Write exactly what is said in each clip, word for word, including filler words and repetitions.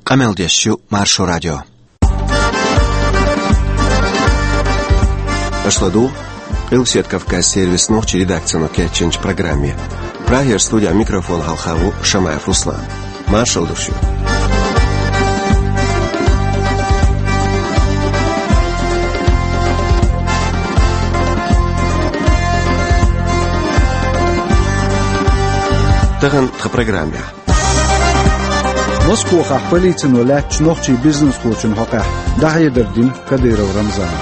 Къамел деш ю Маршо радио. Аша ладугӀу Къилбаседа Кавказан сервисан нохчийн редакцино кечйинчу программе. Прагера студехь микрофон хьалха ву Шамаев Руслан. Маршалла ду шуьга. Тахана тхан программехь. Москвахь полицино лаьттачу нохчийн бизнесхочун хьокъехь дӀахьедар дина Кадыров Рамзана.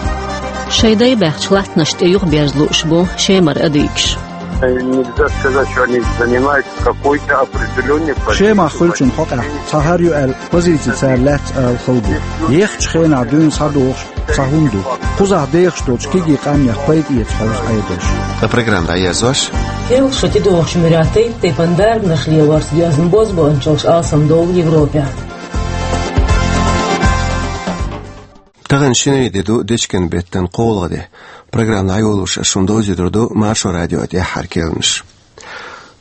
Шайн дай баьхначу латтанашна тӀе юхаберза лууш бу Шемара адыгаш. Нельзя сказать, что они занимают какой-то определённый позицию. Шемахь хуьлучун хьокъехь цхьа хӀара ю аьлла позици цара лаьцна ала хала бу. Ехачу хенахь дуьйна схьадогӀуш цхьа хӀума ду. Кхузахь дехаш долчу кегий къаьмнех пайда эца хьовза Ӏедалш. Ткъа программа дӀаерзош. Кхел шо тӀедогӀучу муьряттай тайпан дарбанаш лелорца доьзна бозбуунчаллаш алсам долу Европехь. Тахана шинарин де ду, дечкен беттан кхоалгӀа де. Программа дӀайолош ас шуна довзуьйтур ду Маршо радион тӀаьххьара керланаш.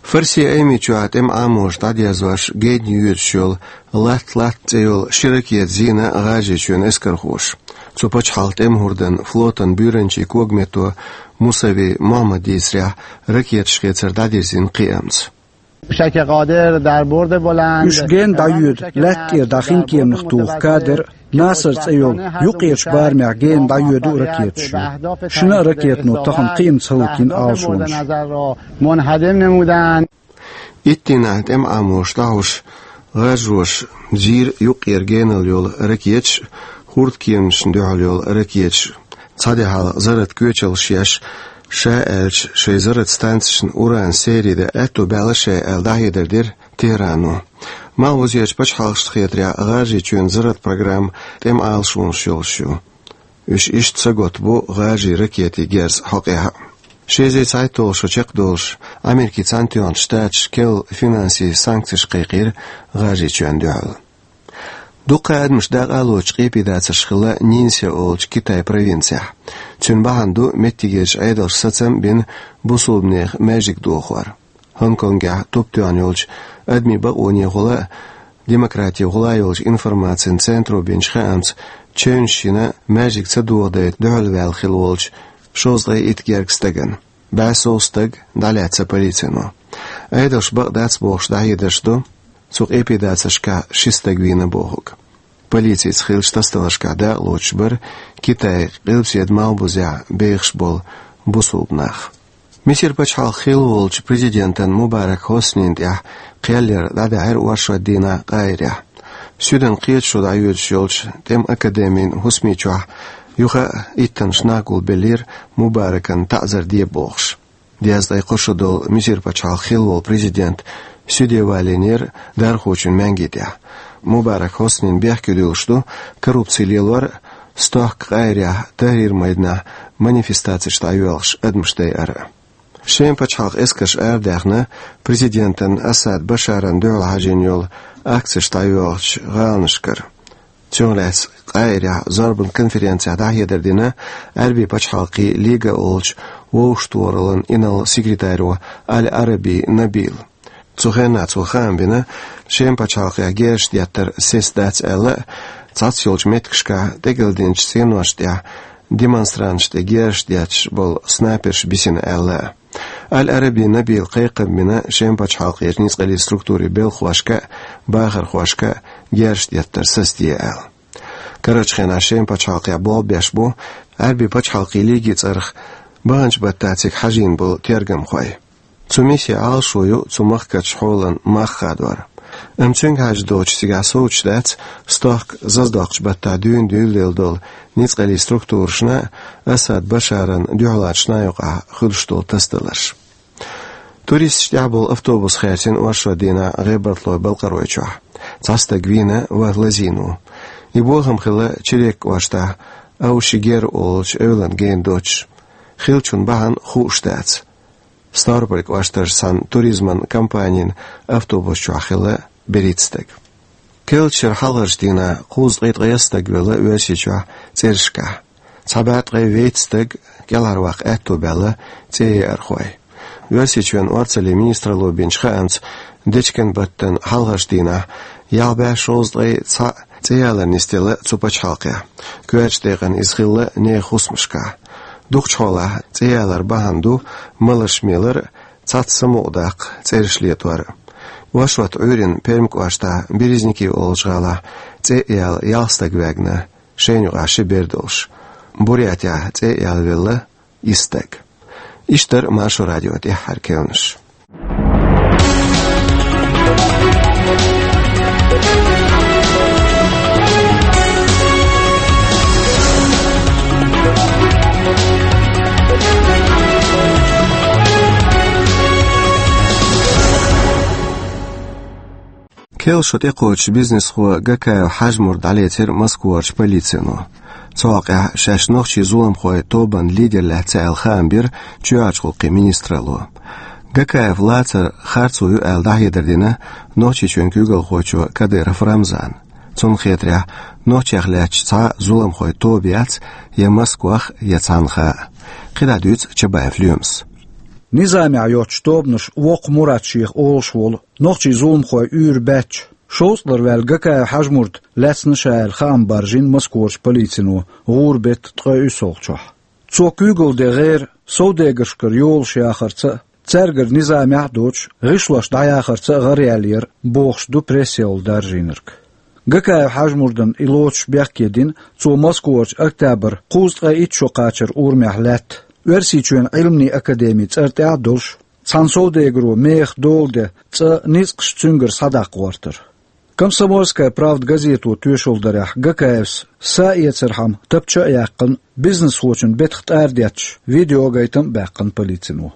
Фарсин Айманчохь тӀеман Ӏамоша дӀадерзош генна йоьдуш йолу «Латта-латта» цӀе йолу ши ракета зийна ГӀажарийчоьнан эскархоша. Цу пачхьалкхан тӀеман хӀордан флотан буьйранчин когаметто Мусави Мухьаммада дийцарехь, ракеташ хецар дӀадирзина кхиамца. Фишек Къадир дар бурди буланд. Уьш генна дӀайоьду лаьтта тӀера дӀа хинкеманах туху Кадир, Наср цӀе йолу юккъерачу барамехь генна дӀайоьду ракеташ ю. Шина а ракетано тахана кхиамца хӀаллакйина алашонаш. Мунхадим намудан. Итт дийнахь тӀеман Ӏамоша дӀахьош, гӀажароша зийра юккъера генал йолу ракеташ, хӀордкеманашна дуьхьал йолу ракеташ. Цхьа де хьалха зарратан коьчаллаш еш, ша аьлча, шайн зарратан станцешна уран серий дан аьтто баьлла шайн аьлла дӀахьедар дира Тегьрано. Малхбузерчу пачхьалкхашна хетарехь, ГӀажарийчоьнан зарратан программа тӀеман алашонаш йолуш ю. Уьш иштта сагатбу гӀажарийн ракетийн герз хьокъехь а. Ши эзар цхьайтталгӀа шо чекхдолуш, Америкин Цхьаьнатоьхначу Штаташа керла финансийн санкцеш кхайкхийра ГӀажарийчоьнна дуьхьал. Дуккха а адамаш дакъа а лоцуш къепедацарш хилла Нинси олучу Китайн провинцехь. Цуьнан бахьана ду меттигерчу Ӏедалша сацам а бина бусулбанех маьждиг дохор. Гонконгехь туп тоьхна йолчу адамийн бакъонехула а, демократехула а йолчу информацин центро бинчу хаамца, чевнаш йина маьждиг ца дохадайта дуьхьалваьлла хилла волчу шовзткъе итт гергга стагана. БӀе сов стаг дӀалаьцна полицино. Ӏедалша бакъ дац бохуш дӀахьедарш ду, цу къепедацаршкахь ши стаг вийна бохург. Полицица хиллачу тасадаларшкахь дакъалоцуш бара Китайн къилбаседан малхбузехь бехаш болу бусулба нах. Мисар пачхьалкхан хилла волчу президентан Мубарак Хоснина тӀехь кхел яр дӀадаьхьира оршот дийнахь Къаирехь. Суьдан кхеташо дӀайоьдуш йолчу тӀеман академин хӀусамчохь юха а иттаннаш нах гулбеллера Мубаракна таӀзар де бохуш. Дезткъе кхо шо долу Мисар пачхьалкхан хилла волу президент суьде валийнера дархочун маьнги тӀехь. Мубарак Хоснина бехке дуьллуш ду коррупци лелор а, стохка Къаирехь Тахьрир-майданахь манифестацеш дӀайоьлхуш адамаш дайар а. Шеман пачхьалкхан эскарша арадаьхна президентан Асад Башаран дуьхьал хьажийна йолу акцеш дӀайоьлхучу гӀаланашкара. Цунах лаьцна Къаирехь зорбан конференцехь дӀахьедар дина Ӏаьрбийн пачхьалкхийн Лига олучу вовшахтохараллан инарла секретаро Аль-Ӏараби Набила. Цу хенахь цо хаам бина, Шеман пачхьалкхехь герзаш деттар сеца дац аьлла а, цхьацца йолчу меттигашкахь тӀекӀелдинчу цӀеношна тӀехь демонстранташна тӀе герзаш детташ болу снайперш бисина аьлла а. Аль-Ӏараби Набила кхайкхам бина Шеман пачхьалкхерчу ницкъаллин структурийн белхахошка а, бахархошка а герзаш деттар сацаде аьлла. Карарчу хенахь Шеман пачхьалкхехь болх беш бу Ӏаьрбийн пачхьалкхийн Лигин цӀарах баханчу баттахь цига хьажийна болу тергамхой. Цу миссин Ӏалашо ю цу махкарчу хьолан мах хадор. Амма цуьнга хьаьжна доцуш цигахь совцуш дац стохка заздоккхучу баттахь дуьйна дуьйладелла долу ницкъаллин структурашна а, Асад Башаран дуьхьалхочу нахана юкъахь хуьлуш долу тасадаларш. Туристаш тӀехь болу автобус хаьрцина оршот дийнахь ГӀебартлойн Балкъаройчохь. Цхьа стаг вийна, ваха лазийна ву. И бохам хилла Черек кӀоштахь Аушигер олучу эвлана гена доцуш. Хиллачун бахьана хууш дац. Ставрополь кӀоштарчу цхьана туризман компанин автобус чохь хилла берхӀитта стаг. Керлачу шеран хьалхарчу дийнахь кхузткъе ткъайесна стаг велла Оьрсийчохь цӀерашкахь. Цхьа бӀе ткъе вейтта стаг кӀелхьарваккха аьтто баьлла цӀеяархой. Оьрсийчоьнан орцаллин министралло бинчу хаамца, дечкен баттан хьалхарчу дийнахь Ялх бӀаь шовзткъе цхьаъ цӀеялар нисделла цу пачхьалкхехь. Коьртачу декъана иза хилла нехан хӀусамашкахь. Дукхачу хьолахь цӀеялар бахьана ду маларш мелар а, цхьацца самукъадаккха цӀераш летор а. Оршот Ӏуьйранна Пермь кӀоштахь Березники олучу гӀалахь цӀе а яьлла ялх стаг ваьгна, шайна юкъахь ши бер долуш. Бурятехь цӀе а яьлла велла исс стаг. Иштта дара Маршо радион тӀаьххьара керланаш. Керла шо тӀекхочуш бизнесхо Гакаев Хьажмурд дӀалецира Москварчу полицино. Цу хьокъехь шаьш нохчийн зуламхойн тобанан лидер лаьцна аьлла хаам бира чоьхьарчу гӀуллакхийн министралло. Гакаев лацар харцо ю аьлла дӀахьедар дина Нохчийчоьнан куьйгалхочо Кадыров Рамзана. Цунна хетарехь, нохчех лаьтташ цхьа а зуламхойн тоба яц я Москвах, я цхьанхьа а. КхидӀа дуьйцу Чабаев Лоьмас. Низамехь йоцучу тобанаша воккха Мурат шех олуш волу нохчийн зуламхойн уьйр баьчча, шовзткъалара ваьлла Гакаев Хьажмурд лаьцна ша аьлла хаам баржийна Москварчу полицино гӀуран беттан ткъе уьссалгӀачохь. Цо куьйгалла ден гӀера совдегаршкара йолуш яхарца а, цаьргара низамехь а доцуш, гӀишлош дӀаяхарца а гӀараяьллера, бохуш ду прессехула даржийнарг. Гакаев Хьажмурдана и лоцуш бехке дина цо Москварчу «Октябрь» кхузткъе итт шо кхачаран урамехь лаьтта, Оьрсийчоьнан Ӏилманийн академин цӀарна тӀехь а долуш, цхьана совдегаро меха дола ден цӀа ницкъаш цуьнгара схьадаккха гӀортар. «Комсомольская правда» газето тоьшалла дарехь, Гакаевс са а эцархьама тапча а яьккхина, бизнесхочун бетах тӀарадетташ видеогайтам а баьккхина полицино.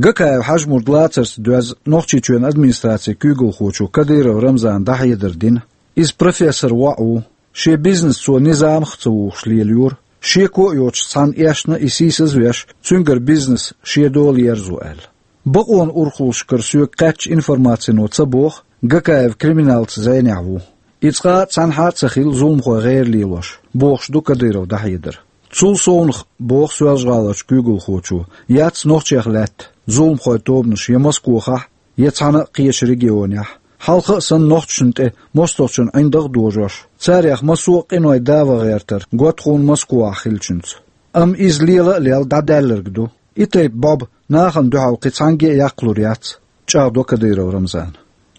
Гакаев Хьажмурд лацарца доьзна Нохчийчоьнан администрацин куьйгалхочо Кадыров Рамзана дӀахьедар дина, иза профессор воӀ ву, шен бизнес цо низамах а ца вухуш лелайора, шеко а йоцуш цхьана эшна и сийсазвеш, цуьнгара бизнес шен дола ерзо аьлла. Бакъонан урхаллашкара соьга кхаьчча информацино ца боху, Гакаев криминалца зӀенехь ву. И цкъа а цхьанхьа а ца хилла зуламхойн гӀера лелош, бохуш ду Кадыров дӀахьедар. Цул совнаха, боху Соьлжа-ГӀаларчу куьйгалхочо, яц нохчех лаьтта зуламхойн тобанаш я Москвахахь, я цхьана а кхечу регионехь. Хьалха а санна нохчашна тӀе мостагӀчун ӀиндагӀ а дожош, царех массо а къинойн да ван гӀертар готта хӀума Москвахь хиллачуьнца. Амма иза лела а лелла дӀадаьлларг ду. И тайпа бӀоба нахана дуьхьал кхин цхьаьнгге а яккхалур яц, чӀагӀдо Кадыров Рамзана.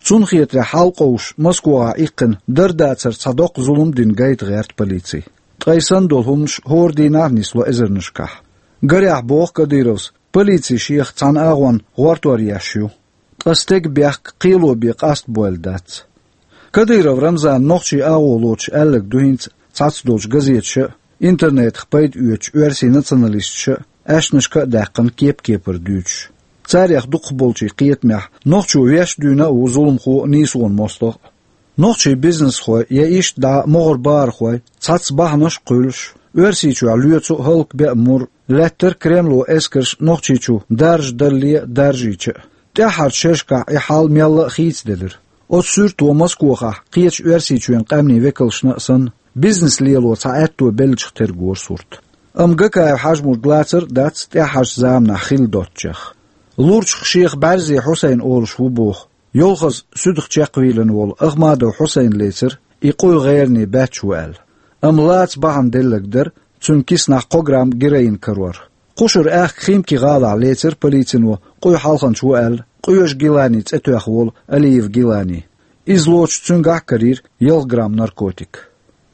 Цунна хетарехь, хьалкъовсуш Москвахь иккхина дар-дацар цхьа доккха зулам дина гайта гӀерта полици. Ткъа и санна долу хӀуманаш хӀора дийнахь а нисло эзарнашкахь. Гарехь, боху Кадыровс, полици шех цхьана агӀонна гӀортор еш ю. Ткъа стеган бехк кхело бен къастабойла дац. Кадыров Рамзана нохчийн агӀо лоцуш аьлларг ду хӀинца цхьацца долчу газеташа а, интернетах пайда оьцучу оьрсийн националисташа а аьшнашка а даьккхина кеп-кепара дуьйцуш. Царех дукхахболчийн кхетамехь, нохчо веш а дуьйна а ву зуламхо а, нийсонан мостагӀа а. Нохчийн бизнесхой я иштта дӀа могӀара бахархой цхьацца бахьанаш а кхуьйлуш, Оьрсийчохь лоьцу а, хӀаллакбе а мур лаьттара Кремло эскарш Нохчийчу даржа далале а, даржийча а. ТӀаьххьарчу шерашкахь и хьал мелла а хийцаделира. Оцу суьрто Москвахахь кхечу Оьрсийчоьнан къаьмнийн векалшна а санна, бизнес лело цхьа аьтто беллачух тергора сурт. Амма Гакаев Хьажмурд лацар а дац тӀаьххьарчу заманахь хилла доцучех. Лурчах шех БӀаьрзе Хьусайн олуш ву боху. Йолхаза суьдах чекхвийлина волу Ахмадов Хьусайн лецира, и къуй гӀеране баьчча ву аьлла. Амма лаца бахьана делларг дара цуьнан киснахь кхо грамм героин карор. Кхушара аьхка Химки гӀалахь лецира полицино къуй хьалханча ву аьлла, къоьжа Гилани цӀе тоьхна волу Алиев Гилани. Иза лоцуш цуьнгахь а карийра ялх грамм наркотик.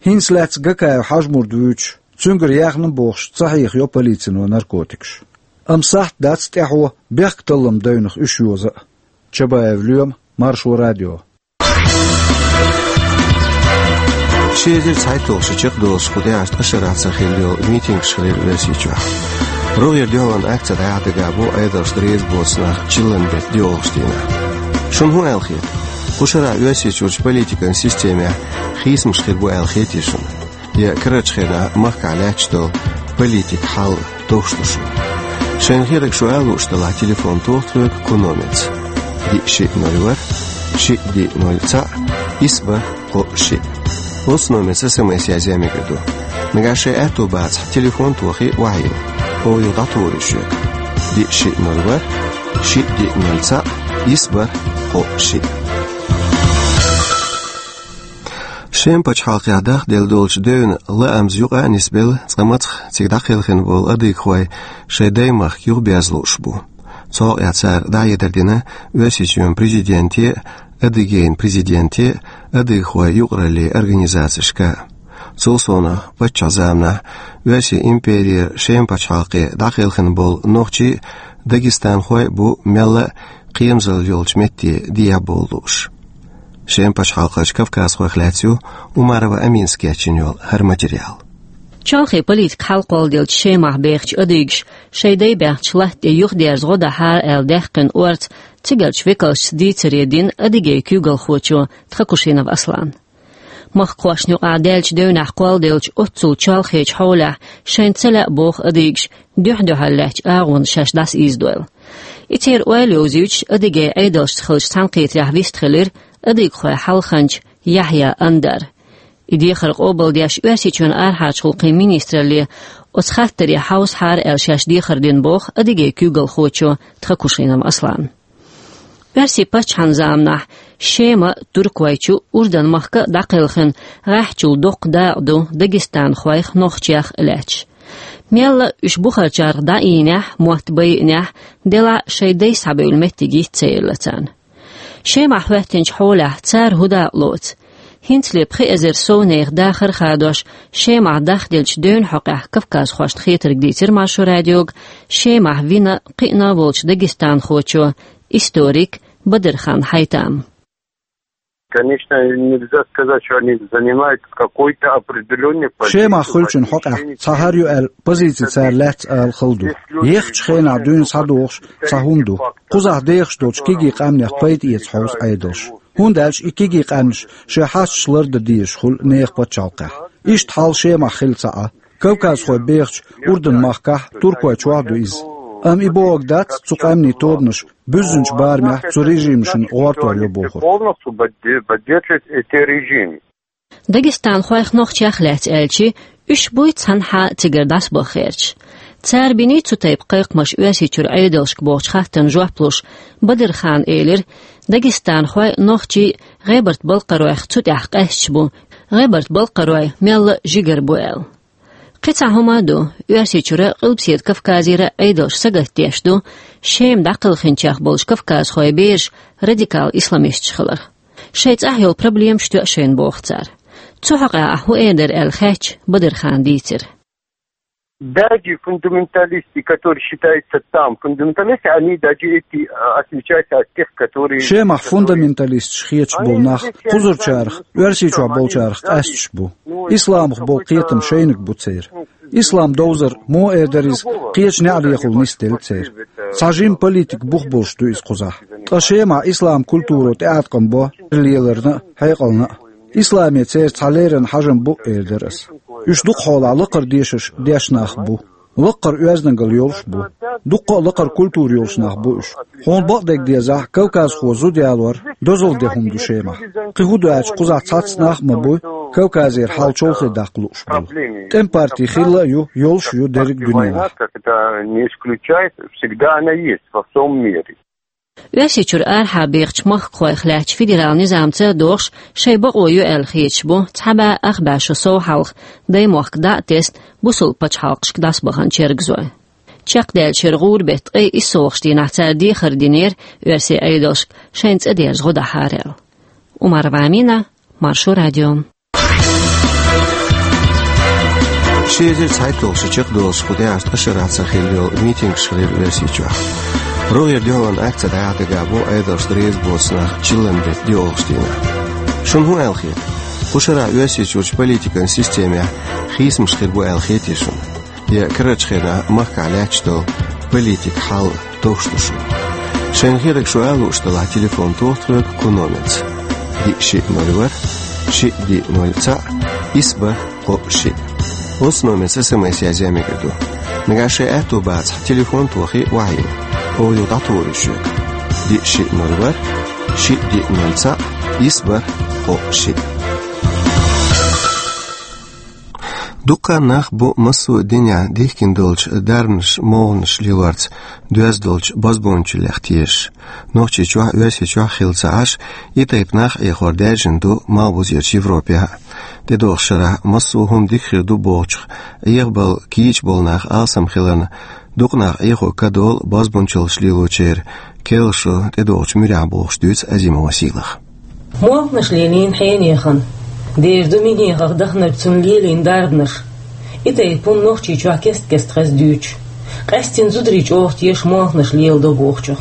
ХӀинца лаьцна Гакаев Хьажмурд вуьйцуш, цуьнгара яьхна бохуш, ца хьехайо полицино наркотикаш. Амма сахьт дац тӀаьхьо бехк-таллам девнах уьш йоза а. Чабаев Лоьма, Маршо радио. Ши эзар цхьайтталгӀачу шарахь чекхдолуш кху тӀаьхьарчу ткъа шарахь ца хилла йолу митингаш хилира Оьрсийчохь. РогӀера дуьхьалан акци дӀаяхьа дагабо Ӏедалша дерза боцу нах чиллан беттан доьалгӀачу дийнахь. Шуна хӀун аьлла хета? Кху шарахь Оьрсийчуьрчу политикан системехь хийцамаш хир бу аьлла хетий шуна? Я карарчу хенахь махкахь лаьтташ долу политикан хьал товш ду шуна? Шайна хетарг шу ала лууш делахь, телефон тоха тхоьга кху номерца: диъ шиъ ноль ворхӀ, шиъ диъ ноль цхьаъ, исс бархӀ кхоъ шиъ. Оцу номерца СМС язъян мегар ду. Нагахь шайн аьтто бацахь, телефон тохий охьайилла. Оха юха дӀатухур ю шуьга: диъ шиъ ноль ворхӀ, шиъ диъ ноль цхьаъ, исс бархӀ кхоъ шиъ. Шема пачхьалкхехь дахделла долчу девнан лаамза юкъа а нисбелла, цкъа мацах цига дӀакхелхина болу адыгахой шайн даймахка юхаберза лууш бу. Цу хьокъехь цара дӀахьедар дина Оьрсийчоьнан президенте а, Адыгейн президенте а, адыгахой юкъараллин организацешка а. Цул совнаха, паччахьан заманахь Оьрсийн имперера Шема пачхьалкхе дӀакхелхина болу нохчий а, дагестанхой а бу мелла а кхерамзалла йолчу метте дехьа бовла лууш. Шема пачхьалкхерчу кавказхойх лаьцна ю Умарова Аминас кечйина йолу хӀара материал. Чолхе политикан хьал кхолладеллачу Шемахь бехачу адыгаша шайн дай баьхначу латта тӀе юхадерза гӀо дахьара аьлла даьккхина орца цигарчу векалшца дийцаре дина Адыгейн куьйгалхочо Тхакушинов Аслана. Махкахошна юкъахь даьллачу девнехь кхолладеллачу оццул чолхечу хьолехь шайна ца лаьа боху адыгаша дуьхь-дуьхьал лаьттачу агӀонна шаьш дӀасаийзадойла. И церан ойла йовзуьйтуш Адыгейн Ӏедалшца хиллачу цхьаьнакхетарехь вистхилира адыгахойн хьалханча Яхьъя Андар. И дехар къобалдеш Оьрсийчоьнан арахьарчу гӀуллакхийн министралле оцу хаттаре хьовсахьара аьлла шаьш дехар дина боху Адыгейн куьйгалхочо Тхакушинов Аслана. Оьрсийн паччахьан заманахь Шема а, Туркойчу, Урдан-махка а дӀакхелхина гӀеххьачул доккха дакъа ду дагестанхойх, нохчех а лаьтташ. Мелла а уьш бухарчарах дӀаийнехь, мотт байинехь, делахь а шайн дай схьабевлла меттиг йиц ца елла царна. Шемахь хӀоьттинчу хьолехь цара хӀун дакъа лоцу? ХӀинцале пхи эзар сов нехан дахар а хадош, Шемахь дахделлачу девнан хьокъехь кавказхошна хетарг дийцира Маршо радиога Шемахь вина, кхиъна а волчу дагестанхочо, историк Бадархан Хьайтама. Конечно, нельзя сказать, что они занимают какой-то определённый позицию. Шемахь хуьлучун хьокъехь цхьа хӀара ю аьлла позици цара лаьцна ала хала ду. Ехачу хенахь дуьйна схьадогӀуш цхьа хӀума ду. Кхузахь дехаш долчу кегий къаьмнех пайда эца хьовсу Ӏедалш. ХӀунда аьлча и кегий къаьмнаш шайн хьасташ лардан дезаш хуьлу нехан пачхьалкхехь. Иштта хьал Шемахь хилла ца Ӏа. Кавказхой бехачу Урдан-махкахь, Туркойчохь а ду иза. Амма и бохург дац цу къаьмнийн тобанаша буьззинчу барамехь цу режимашна гӀортор йо бохург. Полностью подде-, поддерживает эти режимы. Дагестанхойх, нохчех а лаьцна аьлча, уьш буй цхьанхьа цигара дӀасабаха гӀерташ. Цара биний цу тайпа кхайкхамаш Оьрсийчуьра Ӏедалшка бохучу хаттарна жоп луш, Бадархана элира, дагестанхой а, нохчий а гӀебарта балкхаройх цу тӀехь къаьсташ бу, гӀебарта балкхарой мелла а жигара бу аьлла. Кхин цхьа хӀума а ду, Оьрсийчуьра а, Къилбаседа Кавказера а Ӏедалш сагатдеш ду Шема дӀакхелхинчех болчу кавказхойн бераш радикал исламисташ хиларх. Шайн цӀахь йолу проблемаш тоьа шайна, боху цара. Цу хьокъехь ахь хӀун эр дара аьлла хаьттича, Бадархана дийцира. Даже фундаменталисты, которые считаются там фундаменталисты, они даже эти, а, отличаются от тех, которые... Шемахь фундаменталисташ хеташ болу нах кхузарчарах, Оьрсийчохь болчарах къаьсташ бу. Исламах болу кхетам шайниг бу церан. Ислам довзар, муха эр дара иза, кхечу неӀарехула нисделла церан. Цхьа жима политикан бух болуш ду иза кхузахь. Ткъа Шемахь ислам культуро тӀеӀаткъам бо леларна а, хьекъална а. Исламе церан цхьа леррина хьажам бу, эр дара ас. Уьш дукха хьолахь лакхара дешарш деш нах бу. Лакхара оьздангалла йолуш бу. Дуккха а лакхара культура йолуш нах бу уьш. Хьуна бакъдерг дезахь, кавказхо зуда ялор дозалла де хӀума ду Шемахь. Кхин хӀун ду аьлча, кхузахь цхьацца нах а ма буй, Кавказера хьал чолхе даккха лууш болу. ТӀеман парти хилла а ю, йолуш а ю дерриг дуьненахь. Как это не исключает, всегда она есть во всём мире. Оьрсийчуьра арахьа бехачу махкахойх лаьттачу федерал низамца а догӀуш, шайн бакъо ю аьлла хеташ бу цхьа бӀе ах бӀе шо сов хьалха даймохк дӀа а тесна, бусалба пачхьалкхашка дӀасабахана чергазой. Чекхдаьллачу хӀара гӀуран беттан ткъе иссалгӀачу дийнахь цара дехар динера оьрсийн Ӏедалшка шайна цӀа дерза гӀо дахьара аьлла. Умарова Амина, Маршо радио. Ши эзар цхьайтталгӀа шо чекхдолуш кху тӀаьхьарчу ткъа шарахь ца хилла йолу митингаш хилира Оьрсийчохь. РогӀера дуьхьалонан акци дӀаяхьа дагахь бу Ӏедалшна реза боцу нах чиллан беттан доьалгӀачу дийнахь. Шуна хӀун аьлла хета? Кху шарахь Оьрсийчуьрчу политикан системехь хийцамаш хир бу аьлла хетий шуна? Я карарчу хенахь махкахь лаьтташ долу политикан хьал товш ду шуна? Шайна хетарг шу ала лууш делахь, телефон тоха тхоьга кху номерца: диъ шиъ ноль ворхӀ, шиъ диъ ноль цхьаъ, исс бархӀ кхоъ шиъ. Оцу номерца СМС язъян мегар ду. Нагахь шайн аьтто бацахь, телефон тохий, охьайилла. Оха юха дӀатухур ю шуьга: диъ шиъ ноль ворхӀ, шиъ диъ ноль цхьаъ, исс бархӀ кхоъ шиъ. Дуккха а нах бу массо а динехь дихкина долчу дарбанаш, могӀанаш лелорца доьзна долчу бозбуунчаллех тешаш. Нохчийчохь а, Оьрсийчохь а хилла ца Ӏаш, и тайпа нах а Ӏехор даьржина ду малхбузерчу Европехь а. ТӀедогӀучу шарахь массо а хӀума дика хир ду бохучух Ӏехабала кийча болу нах алсам хиларна, дукха нах Ӏехо ка долу бозбуунчаллаш лелочеран, керла шо тӀедогӀучу муьрехь бохуш дуьйцу Азимова Сийлаха. Молханаш лелийна хьенехана, дера ду минехах даханарг цунна лелийна дарбанаш. И тайпа хӀума Нохчийчохь кест-кеста хеза дуьйцуш. Къаьсттина зударий чӀогӀа теша молханаш леладо бохучух.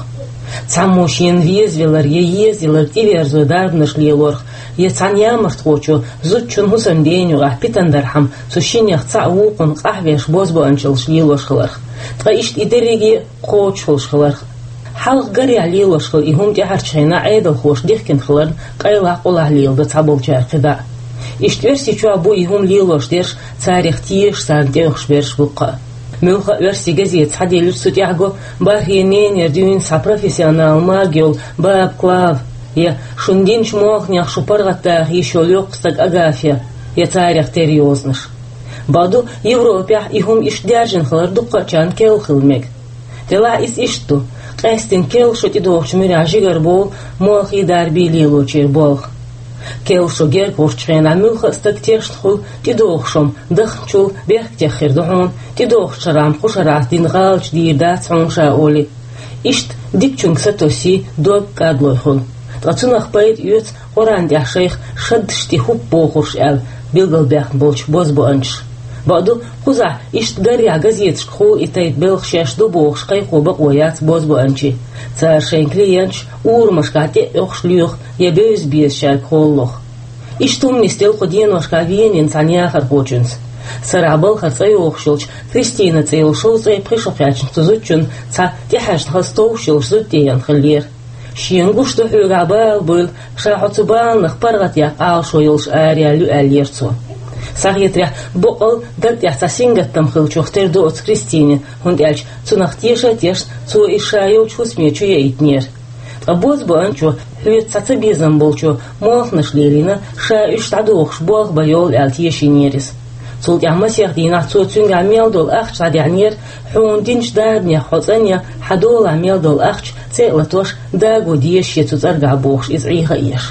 Цхьаммо шена везавелар я езаялар тӀеверзо дарбанаш лелорх, я цхьана ямартхочо зудчун хӀусамден юкъахь питана дархьама цу шиннех цхьаъ вукхунна къахьвеш бозбуанчаллаш лелош хиларх. Ткъа иштта и дерриге а кхочушхуьлуш хиларх. Хьалха гарехь лелош хилла и хӀума тӀаьхьарчу хенахь Ӏедалхоша дихкина хиларна, къайлах-къулах леладо цхьаболчара кхидӀа. Иштта Оьрсийчохь бу и хӀума лелош дерш, царах теша, царна тӀеоьхуш берш бу кхаъ. Муьлхха а оьрсийн газета схьадиллича, цу тӀехь го бархӀе ненера дуьйна схьа профессионал маг йолу Баба Клава, я шуна динчу молханех шу паргӀатдаха йиш йолу йоккха стаг Агафья, я царах тера йозанаш. Бакъду, Европехь и хӀума иштта даьржина хилар дуккхачарна керла хила мега. Делахь иза иштта ду, къаьсттина керла шо тӀедогӀучу муьрехь жигара бовлу молхий дарбий лелочеран болх. Керла шо герга гӀуртчу хенахь муьлхха а стаг тешна хуьлу тӀедогӀуш хӀума дахначул бехктех хир ду хьуна, тӀедогӀучу шарахь кху шарахь дина гӀалаташ дийр дац хьуна ша олий. Иштта дикачуьнга сатоссий, дог кӀадлой хуьлу. Ткъа цунах пайда оьцу Къуръан тӀехь шайх шаддаш тӀе хӀуп бохурш аьлла билгалбаьхна болчу бозбуанчаша. Бакъду, кхузахь иштта гарехь газеташкахула и тайпа белхан шаьш ду бохуш кхайкхо бакъо яц бозбуанчин. Цара шайн клиенташ урамашкахь тӀе а оьхуш лоьху я бевза безачаьрга холалоху. Иштта хӀума нисделла кху деношкахь Венин цхьана яхархочуьнца. Сарахь балхара цӀа йохуш йолчу Кристина цӀе йолу шовзткъе пхи шо кхаьчначу цу зудчунна цхьа тӀехьаьжна хаза товш йолуш зуда тӀееана хиллера. Шена гуш ду хьоьгахь бала буйла, ша хьо цу баланах паргӀатъяккха Ӏалашо йолуш араяьлла ю аьллера цо. Схьахетарехь, боккъал даг тӀехь цхьа сингаттам хиллачух тера ду оцу Кристинин, хӀунда аьлча цунах теша а тешна, цо иза ша йолчу хӀусаме чу яийтинера. Ткъа бозбуанчо, хьоьца цхьа цабезам болчо молханаш лелийна, ша уьш дӀадохуш болх бан йолу аьлла тешийнера иза. Цул тӀаьхьа масех дийнахь цо цуьнгахь мел долу ахча дӀадаьхьнера, хьуна динчу дарбанех хьо цӀанъян, хьан долахь мел долу ахча цӀе а латош, даго деза шен цу цӀаргахь бохуш, иза Ӏеха а еш.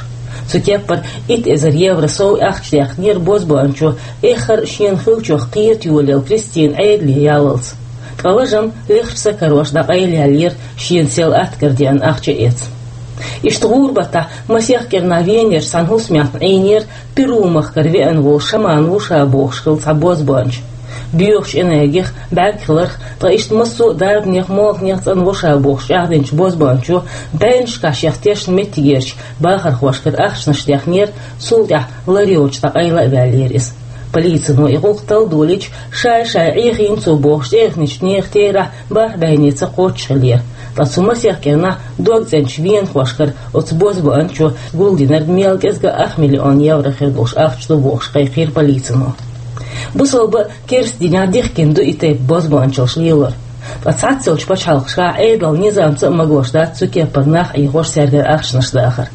Цу кеппара итт эзар евро сов ахча даьхнера бозбуанчо, эххар а шена хиллачух кхета йолаелла Кристина Ӏедале яллалц. Ткъа лажам лехча ца карош дӀакъайлаяьллера, шена сел атта кара деана ахча а эцна. Иштта гӀуран баттахь масех кӀирнахь Венерчу цхьана хӀусамехь Ӏийнера Перу-махкара веана волу шаман ву ша бохуш хилла цхьа бозбуанча. Боьхачу энергих, бӀаьрг хиларх, ткъа иштта массо а дарбанех, молханех цӀанво ша бохуш чӀагӀдинчу бозбуанчо бӀеннашкахь шех тешна меттигерчу бахархошкара ахчанаш даьхнера, цул тӀаьхьа лар йоцуш дӀакъайла а ваьллера иза. Полицино и гӀуллакх талла долийча, шай-шай Ӏехийна цо бохуш тӀеэхначу нехан терахь бархӀ бӀайнеца кхоччуш хиллера. Ткъа цу масех кӀирнахь дог цӀеначу венахошкара оцу бозбуанчо гулдинарг мел кӀезга ах миллион евро хир долуш ахча ду бохуш кхайкхийра полицино. Бусалба а, керста динехь дихкина ду и тайпа бозбуанчаллаш лелор. Ткъа цхьаццалчу пачхьалкхашкахь Ӏедалан низамца а магош дац цу кеппара нах Ӏехош, цаьргара ахчанаш дахар.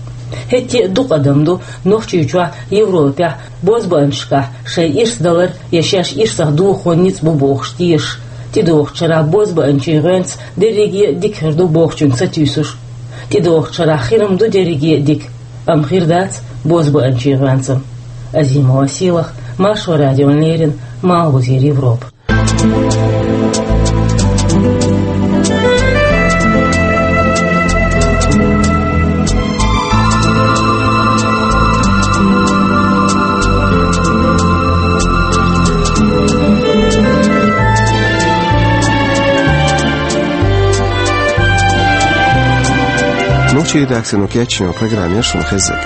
ХӀетте а дукха адам ду Нохчийчохь, Европехь бозбуанчашкахь шайн ирс далар я шаьш ирсах дохо ницкъ бу бохуш тешаш, тӀедогӀучу шарахь бозбуанчийн гӀоьнца дерриге а дика хир ду бохучуьнга сатуьйсуш. ТӀедогӀучу шарахь хир-м ду дерриге а дика, амма хир дац бозбуанчийн гӀоьнца-м. Азимова Сийлаха, Маршо радиона леррина, Малхбузера Европа. Нохчийн редакцино кечйина программа яра шуна хезнарг.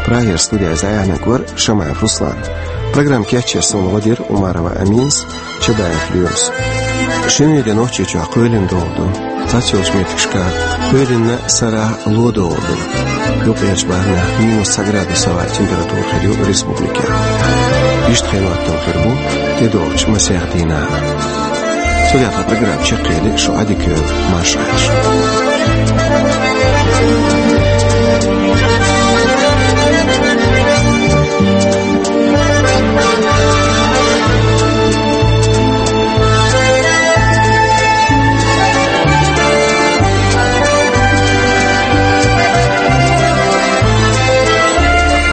Прагера студехь иза дӀаяьхьнарг вара Шамаев Руслан. Программа кечъяр суна гӀо дира Умарова Аминас, Чабаев Лоьмас. Шинарин де Нохчийчохь кхоьлина догӀу ду. Цхьаццайолчу меттигашкахь кхоьлина, сарахь ло догӀу ду. Юккъерчу бахархьама минус цхьа градусовая температура хир ю республикехь. Иштта хенахь хир бу тӀедогӀучу масех дийнахь. Цу тӀехь программа чекхъели, шу Ӏадика йойла, марша Ӏойла шу.